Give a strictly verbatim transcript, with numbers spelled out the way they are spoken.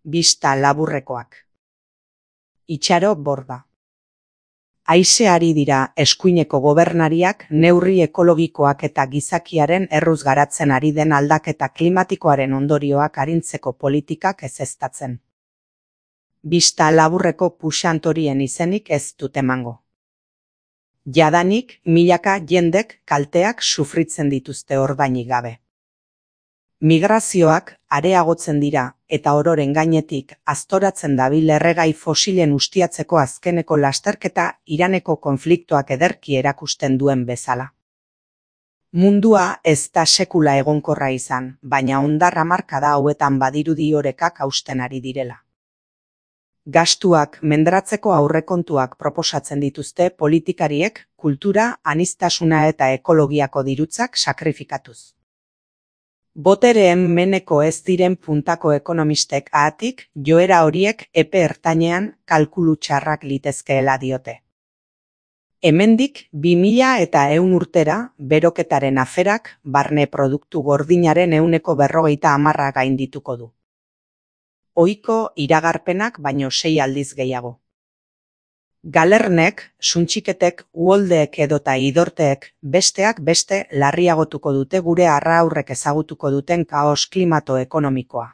bista laburrekoak. Itxaro Borda. Haizeari dira eskuineko gobernariak neurri ekologikoak eta gizakiaren erruz garatzen ari den aldaketa klimatikoaren ondorioak arintzeko politikak ezeztatzen. Bista laburreko puxantorien izenik ez dut emango. Jadanik milaka jendek kalteak sufritzen dituzte ordainik gabe. Migrazioak areagotzen dira eta ororen gainetik aztoratzen dabil erregai fosilen ustiatzeko azkeneko lasterketa Iraneko konfliktoak ederki erakusten duen bezala. Mundua ez da sekula egonkorra izan, baina hondar hamarkada hauetan badirudi orekak hausten ari direla. Gastuak mendratzeko aurrekontuak proposatzen dituzte politikariek kultura, aniztasuna eta ekologiako dirutzak sakrifikatuz. Botereen meneko ez diren puntako ekonomistek ahatik joera horiek epe ertainean kalkulu txarrak litezkeela diote. Hemendik bi mila eta ehun urtera beroketaren aferak barne produktu gordinaren ehuneko berrogeita hamarra gaindituko du. Ohiko iragarpenak baino sei aldiz gehiago. Galernek, suntxiketek, uholdeek edota idorteek besteak beste larriagotuko dute gure arraurrek ezagutuko duten kaos klimato ekonomikoa.